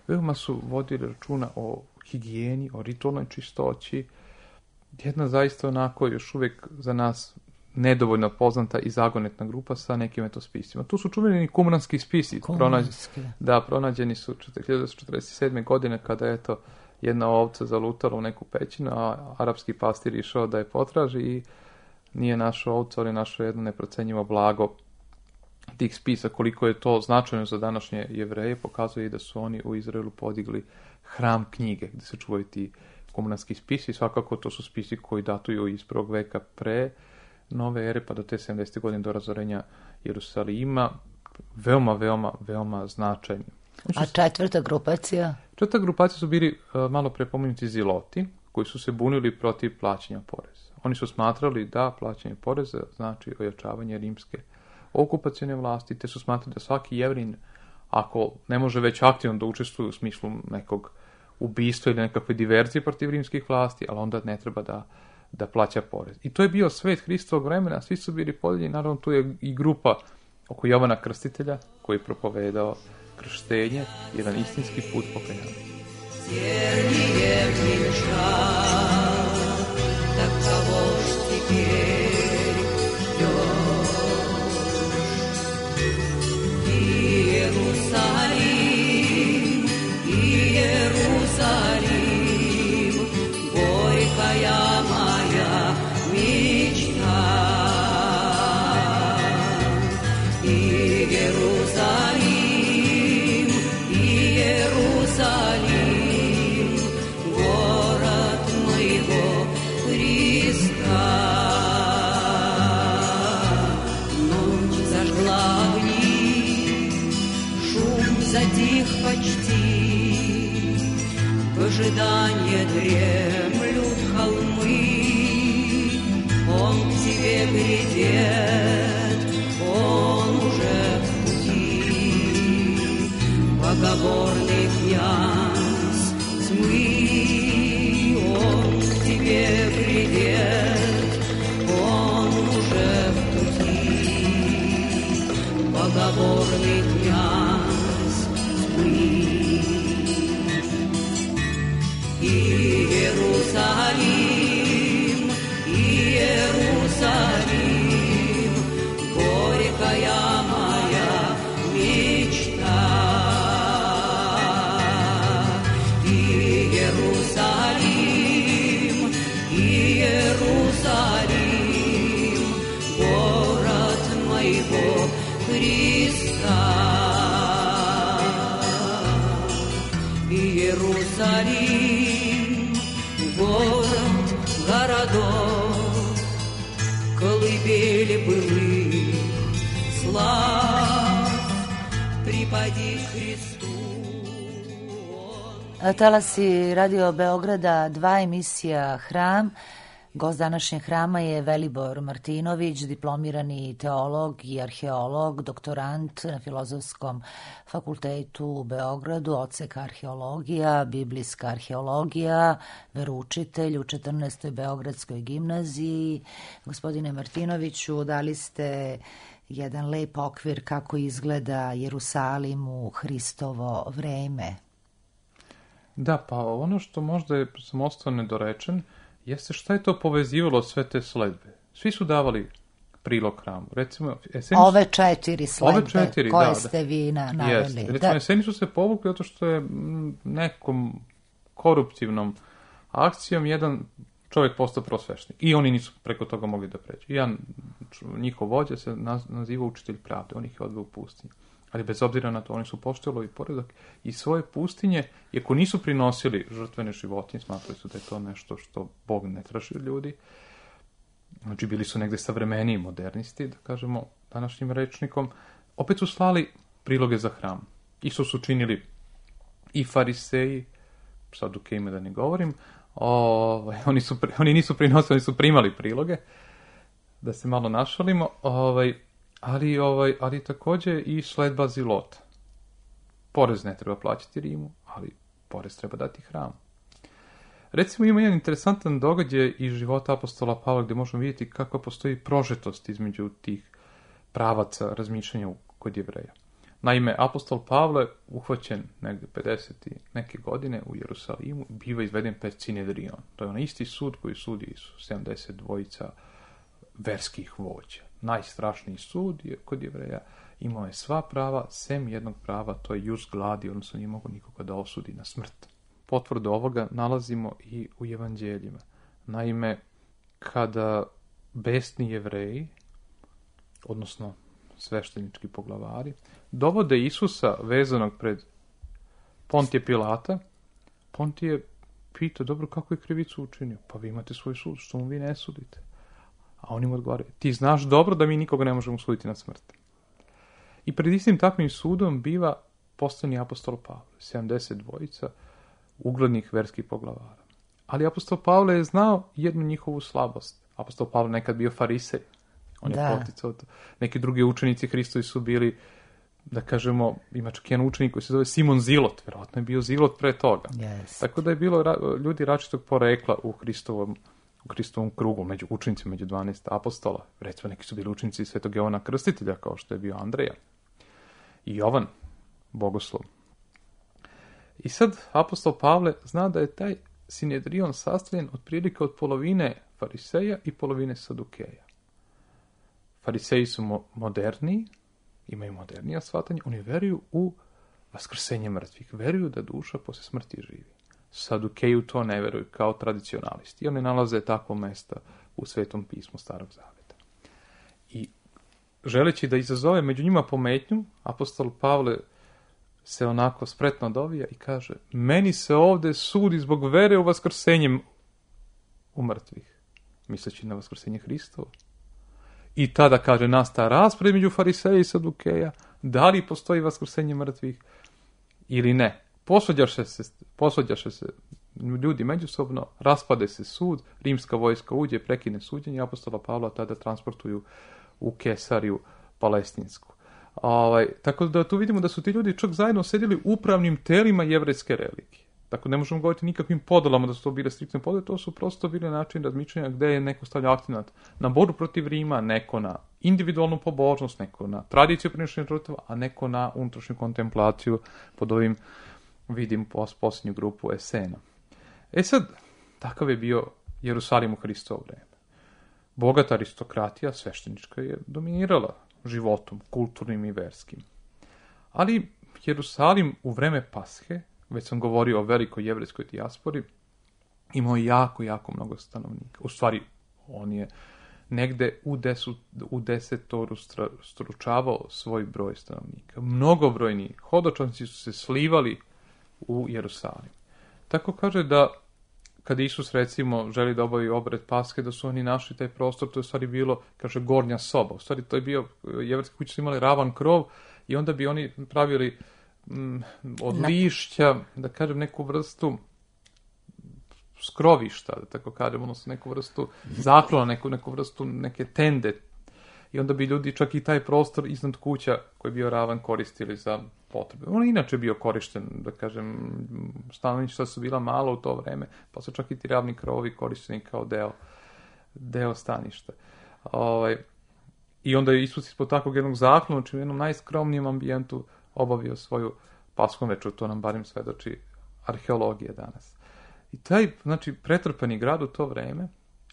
Veoma su vodili računa o higijeni, o ritualnoj čistoći. Jedna zaista onako još uvijek za nas nedovoljno poznata i zagonetna grupa sa nekim spisima. Tu su čuveni kumranski spisi. Pronađeni su 1947. godine kada je jedna ovca zalutala u neku pećinu, a arapski pastir išao da je potraži i nije našao ovcu, ali našao jedno neprocenjivo blago tih spisa. Koliko je to značajno za današnje Jevreje, pokazuje i da su oni u Izraelu podigli hram knjige, gdje se čuvaju ti kumranski spisi. Svakako to su spisi koji datuju iz 1. veka pre nove ere, pa do te 70. godine do razorenja Jerusalima. Veoma značajni. A četvrta grupacija? Četvrta grupacija su bili malo prepomenuti ziloti, koji su se bunili protiv plaćanja poreza. Oni su smatrali da plaćanje poreza znači ojačavanje rimske okupacione vlasti, te su smatrali da svaki Jevrin, ako ne može već aktivno da učestvuje u smislu nekog ubistva ili nekakve diverzije protiv rimskih vlasti, ali onda ne treba da plaća porez. I to je bio svet Hristovog vremena, svi su bili podijeljeni, naravno tu je i grupa oko Jovana Krstitelja, koji je propovedao krštenje, jedan istinski put pokajanja. Ожидание дремлют холмы, он к тебе грядет, он уже в пути. Богоборный князь тьмы, он к тебе грядет, он уже в пути. Богоборный князь тьмы. Иерусалим, Иерусалим, городов, колыбели былых слав, припади Христу. Talasi Radio Beograda, 2 emisija Hram. Gost današnjeg Hrama je Velibor Martinović, diplomirani teolog i arheolog, doktorant na Filozofskom fakultetu u Beogradu, odsek arheologija, biblijska arheologija, veroučitelj u 14. Beogradskoj gimnaziji. Gospodine Martinoviću, dali ste jedan lep okvir kako izgleda Jerusalim u Hristovo vreme. Da, pa ono što možda sam ostao nedorečen, jeste šta je to povezivalo sve te sledbe. Svi su davali prilog Hramu. Recimo, ove 4 sledbe koje da, ste vi naveli. Jeste. Recimo, Eseni su se povukli zato što je nekom koruptivnom akcijom jedan čovjek postao prosveštenik. I oni nisu preko toga mogli da pređu. Jedan njihov vođa se naziva učitelj pravde. On ih je odveo u pustinju. Ali bez obzira na to, oni su poštovali poredak i svoje pustinje, iako nisu prinosili žrtvene životinje, smatrali su da je to nešto što Bog ne traži od ljudi. Znači, bili su negde savremeniji modernisti, da kažemo današnjim rečnikom. Opet su slali priloge za Hram. Isto su činili i fariseji, sad u ime da ne govorim, oni nisu prinosili, oni su primali priloge, da se malo našalimo, ali također i sledba Zilota. Porez ne treba plaćati Rimu, ali porez treba dati Hramu. Recimo ima jedan interesantan događaj iz života apostola Pavla gdje možemo vidjeti kako postoji prožetost između tih pravaca razmišljanja kod Jevreja. Naime, apostol Pavle, uhvaćen negdje 50. neke godine u Jerusalimu, biva izveden pred Sinedrion. To je onaj isti sud koji sudi 72 verskih vođa. Najstrašniji sud je kod Jevreja, imao je sva prava, sem jednog prava, to je jus gladi, odnosno nije mogo nikoga da osudi na smrt. Potvrdu ovoga nalazimo i u evanđeljima. Naime, kada besni Jevreji, odnosno sveštenički poglavari, dovode Isusa vezanog pred Pontije Pilata, Pontije pita, dobro, kako je krivicu učinio? Pa vi imate svoj sud, što mu vi ne sudite? A oni mu odgovaraju, ti znaš dobro da mi nikoga ne možemo suditi na smrt. I pred istim takvim sudom biva postavljeni apostol Pavle, 72 uglednih verskih poglavara. Ali apostol Pavle je znao jednu njihovu slabost. Apostol Pavle nekad bio farisej. On je poticao to. Neki drugi učenici Hristovi su bili, da kažemo, ima čak jedan učenik koji se zove Simon Zilot. Vjerojatno je bio Zilot pre toga. Yes. Tako da je bilo ljudi različitog porekla u Hristovom krugu, među učenicima, među 12 apostola. Recimo, neki su bili učenici Svetog Jovana Krstitelja, kao što je bio Andreja. I Jovan, bogoslov. I sad apostol Pavle zna da je taj Sinedrion sastavljen otprilike od polovine fariseja i polovine sadukeja. Fariseji su moderniji, imaju modernija shvatanja, oni veruju u vaskrsenje mrtvih, veruju da duša posle smrti živi. Sadukeju to ne veruju kao tradicionalisti. I oni nalaze takvo mesta u Svetom pismu Starog Zaveta. I želeći da izazove među njima pometnju, apostol Pavle se onako spretno dovija i kaže, meni se ovdje sudi zbog vere u vaskrsenje u mrtvih, misleći na vaskrsenje Hristovo. I tada, kaže, nastaje raspred među fariseja i sadukeja, da li postoji vaskrsenje mrtvih ili ne. Posvađaše se ljudi međusobno, raspade se sud, rimska vojska uđe, prekine suđenje, apostola Pavla tada transportuju u Kesariju Palestinsku. Tako da tu vidimo da su ti ljudi čak zajedno sedjeli u upravnim telima jevrejske religije. Tako ne možemo govoriti nikakvim podelama da su to bile striktne podele, to su prosto bile način razmišljanja gde je neko stavljao akcenat na borbu protiv Rima, neko na individualnu pobožnost, neko na tradiciju prinošenja žrtava, a neko na unutrašnju kontemplaciju pod ovim, vidim, posljednju grupu Esena. Sad, takav je bio Jerusalim u Hristovo vreme. Bogata aristokratija sveštenička je dominirala životom, kulturnim i verskim. Ali Jerusalim u vreme Pashe, već sam govorio o velikoj jevrejskoj dijaspori, imao jako, jako mnogo stanovnika. U stvari, on je negde u desetoru stručavao svoj broj stanovnika. Mnogobrojni hodočanci su se slivali u Jerusalim. Tako kaže da kad Isus, recimo, želi da obavi obred Paske, da su oni našli taj prostor, to je u stvari bilo, kaže, gornja soba. U stvari, to je bio, jevrejske kuće su imali ravan krov i onda bi oni pravili od lišća, da kažem, neku vrstu skrovišta, da tako kažem, odnosno neku vrstu zaklona, neku vrstu neke tende. I onda bi ljudi čak i taj prostor iznad kuća koji je bio ravan koristili za potrebe. On je inače bio korišten, da kažem, stanovništva su bila malo u to vreme, pa su čak i ti ravni krovovi korišteni kao deo staništa. I onda je Isus ispod takvog jednog zaklona, u jednom najskromnijem ambijentu obavio svoju paskom večeru, to nam barem svedoči arheologija danas. I taj, znači, pretrpani grad u to vreme,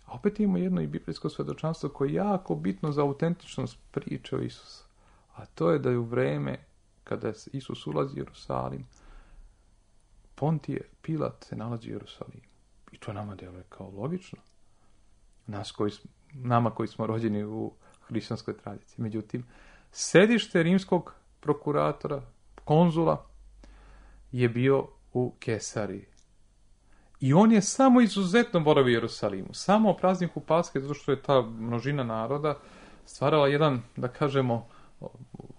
a opet imamo jedno i biblijsko svedočanstvo koje je jako bitno za autentičnost priče o Isusu. A to je da je u vreme kada Isus ulazi u Jerusalim, Pontije Pilat se nalazi u Jerusalimu. I to nama deluje kao logično. Nama koji smo rođeni u hrišćanskoj tradiciji. Međutim, sedište rimskog prokuratora, konzula, je bio u Kesariji. I on je samo izuzetno boravio u Jerusalimu. Samo o prazniku Paske, zato što je ta množina naroda stvarala jedan, da kažemo,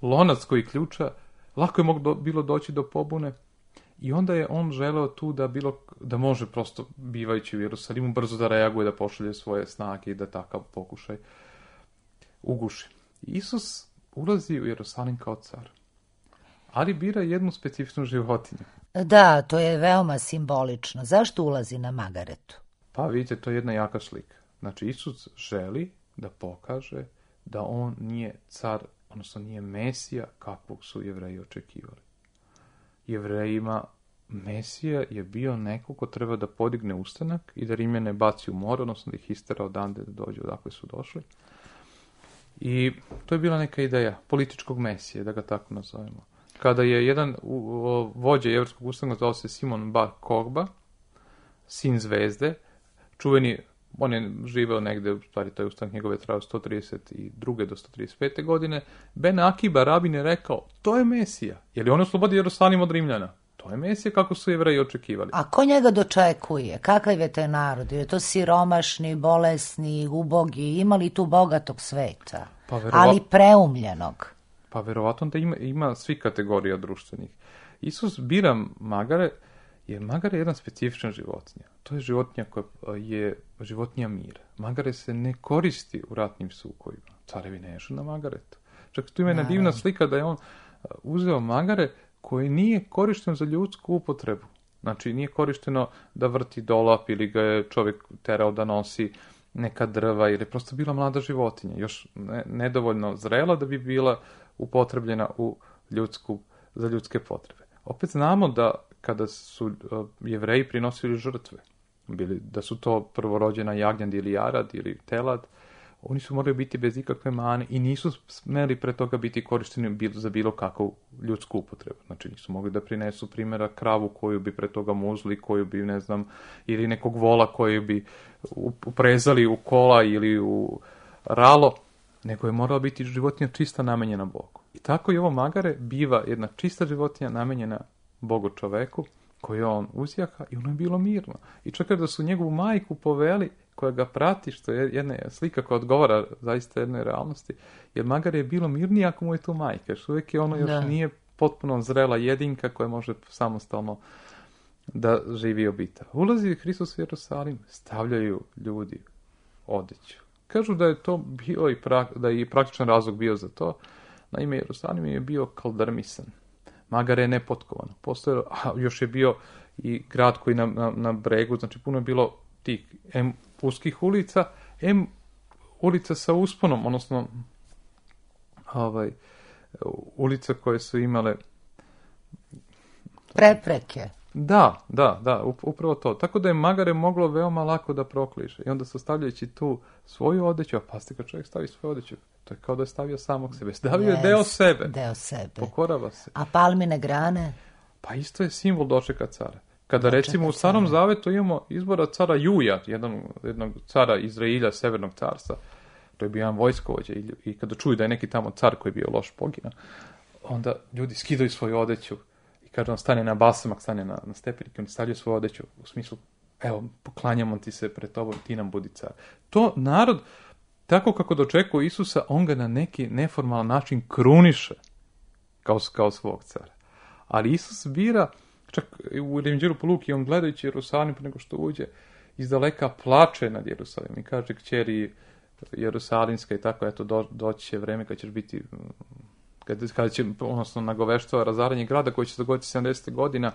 lonac koji ključa. Lako je bilo doći do pobune. I onda je on želeo tu da može prosto, bivajući u Jerusalimu, brzo da reaguje, da pošalje svoje snage i da takav pokušaj uguši. Isus ulazi u Jerusalim kao car, ali bira jednu specifičnu životinju. Da, to je veoma simbolično. Zašto ulazi na magaretu? Pa vidite, to je jedna jaka slika. Znači, Isus želi da pokaže da on nije car, odnosno nije Mesija kakvog su Jevreji očekivali. Jevrejima Mesija je bio neko ko treba da podigne ustanak i da Rimljane baci u more, odnosno da ih istera odande da dođu odakle su došli. I to je bila neka ideja političkog Mesije, da ga tako nazovemo. Kada je jedan vođa jevrejskog ustanka, zvao se Simon Bar Kokba, sin zvezde, čuveni, on je živeo negde, u stvari taj ustanak njegove trajao 132. do 135. godine, Ben Akiba, rabin, je rekao, to je Mesija, jer je on oslobodio Jerusalim od Rimljana. To je Mesija kako su Jevreji očekivali. A ko njega dočekuje? Kakav je taj narod? Je to siromašni, bolesni, ubogi? Ima li tu bogatog sveta? Ali preumljenog? Pa verovatno da ima svi kategorija društvenih. Isus bira magare, jer magare je jedna specifična životinja. To je životinja koja je životinja mira. Magare se ne koristi u ratnim sukojima. Carevi ne ješu na magaretu. Čak tu ima jedna divna slika da je on uzeo magare koji nije korišten za ljudsku upotrebu. Znači, nije korišteno da vrti dolap ili ga je čovjek terao da nosi neka drva, jer je prosto bila mlada životinja, još nedovoljno zrela da bi bila upotrebljena za ljudske potrebe. Opet znamo da kada su Jevreji prinosili žrtve, da su to prvorođena jagnjad ili jarad ili telad, oni su morali biti bez ikakve mane i nisu smeli pre toga biti korišteni za bilo kakvu ljudsku upotrebu. Znači nisu mogli da prinesu primjera kravu koju bi pre toga muzli, koju bi, ne znam, ili nekog vola koju bi uprezali u kola ili u ralo, nego je morala biti životinja čista namenjena Bogu. I tako i ovo magare biva jedna čista životinja namenjena Bogu čoveku, koju on uzjaka i ono je bilo mirno. I čak da su njegovu majku poveli, koja ga prati, što je jedna slika koja odgovara zaista jednoj realnosti, jer magare je bilo mirnije ako mu je tu majka, što uvijek je ono još nije potpuno zrela jedinka koja može samostalno da živi i obita. Ulazi Hristos u Jerusalim, stavljaju ljudi odeću. Kažu da je to bio da je i praktičan razlog bio za to. Naime, Jerusalim je bio kaldrmisan. Magare je nepotkovano. Još je bio i grad koji na bregu, znači puno je bilo tih uskih ulica, ulica sa usponom, odnosno ulice koje su imale prepreke. Da, upravo to. Tako da je magare moglo veoma lako da prokliše. I onda su stavljajući tu svoju odeću, a pazite kad čovjek stavi svoju odeću, to je kao da je stavio samog sebe. Stavio je deo sebe. Pokorava se. A palmine grane? Pa isto je simbol dočeka cara. Kada recimo u Starom Zavetu imamo izbora cara Juja, jednog cara Izrailja, Severnog carstva, to je bio jedan vojskovođa i kada čuju da je neki tamo car koji je bio loš poginuo, onda ljudi skidaju svoju odeću i kada on stane na basamak, stane na stepenike, oni stavljaju svoju odeću u smislu evo, poklanjamo ti se pred tobom, ti nam budi car. To narod, tako kako dočekuje Isusa, on ga na neki neformalan način kruniše kao svog cara. Ali Isus bira, čak u Evanđelju po Luki, on gledajući Jerusalim pre nego što uđe, izdaleka plače nad Jerusalimom i kaže kćeri Jerusalimska i tako, eto, doći će vreme kad ćeš biti, kada će, odnosno nagoveštava razaranje grada koji će se dogoditi 70.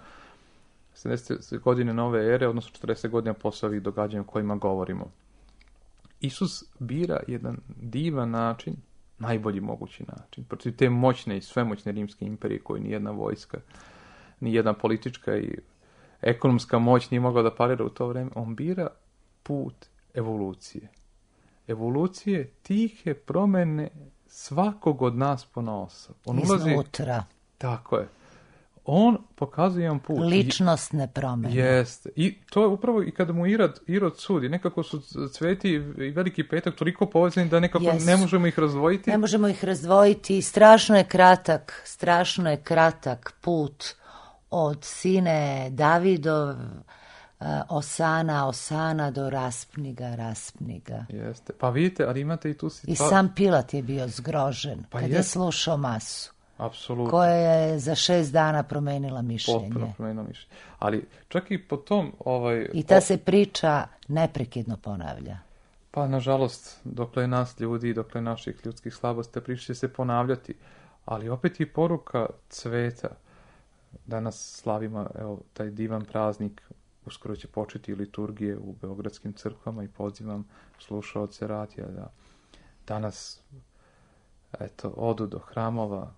godine nove ere, odnosno 40 godina posle ovih događanja o kojima govorimo. Isus bira jedan divan način, najbolji mogući način, protiv te moćne i svemoćne rimske imperije koje nijedna vojska, nijedna politička i ekonomska moć nije mogla da parira u to vreme. On bira put evolucije. Evolucije tihe promene svakog od nas ponaosob. On iznutra. Tako je. On pokazuje jedan put. Ličnostne promene. Jeste. I to je upravo i kada mu Irod sudi. Nekako su Sveti i Veliki petak toliko povezani da nekako ne možemo ih razdvojiti. Ne možemo ih razdvojiti. Strašno je kratak put od sine Davidov, Osana do raspniga. Jeste. Pa vidite, ali imate i tu situaciju. I sam Pilat je bio zgrožen kad je slušao masu. Apsolutno. Koja je za 6 dana promenila mišljenje. Potpuno promenila mišljenje. Ali čak i po tom... I ta se priča neprekidno ponavlja. Pa, nažalost, dokle nas ljudi, dokle naših ljudskih slabosti, priča će se ponavljati. Ali opet i poruka cveta. Danas slavimo taj divan praznik. Uskoro će početi liturgije u beogradskim crkvama i pozivam slušaoce radija da danas odu do hramova,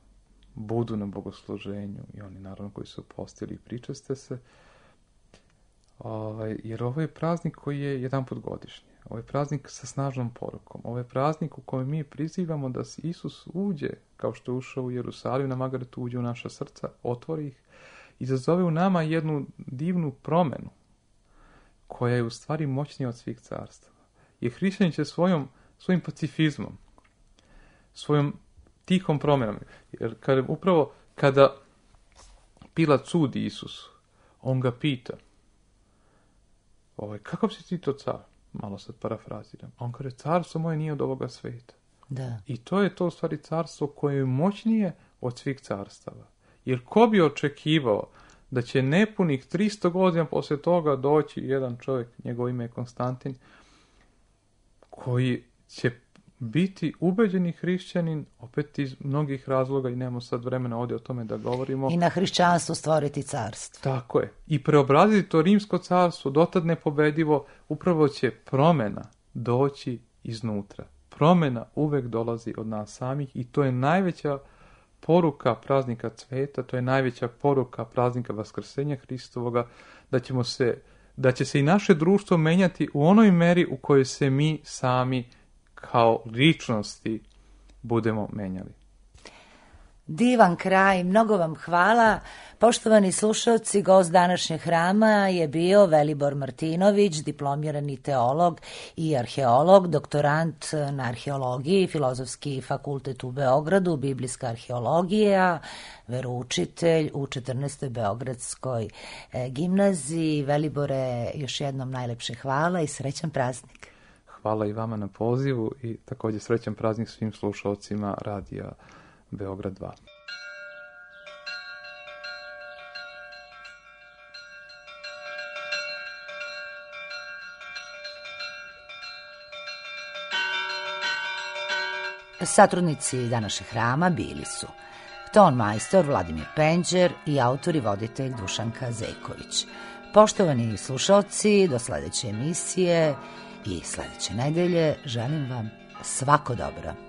budu na bogosluženju i oni naravno koji su postili i pričaste se. Jer ovo je praznik koji je jedan put godišnje. Ovo je praznik sa snažnom porukom. Ovo je praznik u kojem mi prizivamo da Isus uđe, kao što je ušao u Jerusalim, na Magaretu uđe u naša srca, otvori ih, izazove u nama jednu divnu promenu, koja je u stvari moćnija od svih carstava. Jer hrišćanin će svojim pacifizmom, svojom tihom promenom, jer kada Pilat sudi Isusu, on ga pita, kakav si ti to car? Malo sad parafraziram. On kaže, carstvo moje nije od ovoga sveta. Da. I to je to u stvari carstvo koje je moćnije od svih carstava. Jer ko bi očekivao da će nepunih 300 godina posle toga doći jedan čovjek, njegovo ime je Konstantin, koji će biti ubeđeni hrišćanin, opet iz mnogih razloga i nemamo sad vremena ovdje o tome da govorimo. I na hrišćanstvu stvoriti carstvo. Tako je. I preobraziti to rimsko carstvo, dotad nepobedivo, upravo će promjena doći iznutra. Promjena uvek dolazi od nas samih i to je najveća poruka praznika cveta, to je najveća poruka praznika Vaskrsenja Hristovoga, da će se i naše društvo menjati u onoj meri u kojoj se mi sami kao ličnosti budemo menjali. Divan kraj, mnogo vam hvala. Poštovani slušalci, gost današnjeg hrama je bio Velibor Martinović, diplomirani teolog i arheolog, doktorant na arheologiji, Filozofski fakultet u Beogradu, biblijska arheologija, veroučitelj u 14. Beogradskoj gimnaziji. Velibore, još jednom najlepše hvala i srećan praznik. Hvala i vama na pozivu i također srećan praznik svim slušalcima radija Beograd 2. Satrudnici današnjeg hrama bili su ton majstor Vladimir Penđer i autor i voditelj Dušanka Zejković. Poštovani slušalci, do sledeće emisije i sledeće nedelje želim vam svako dobro.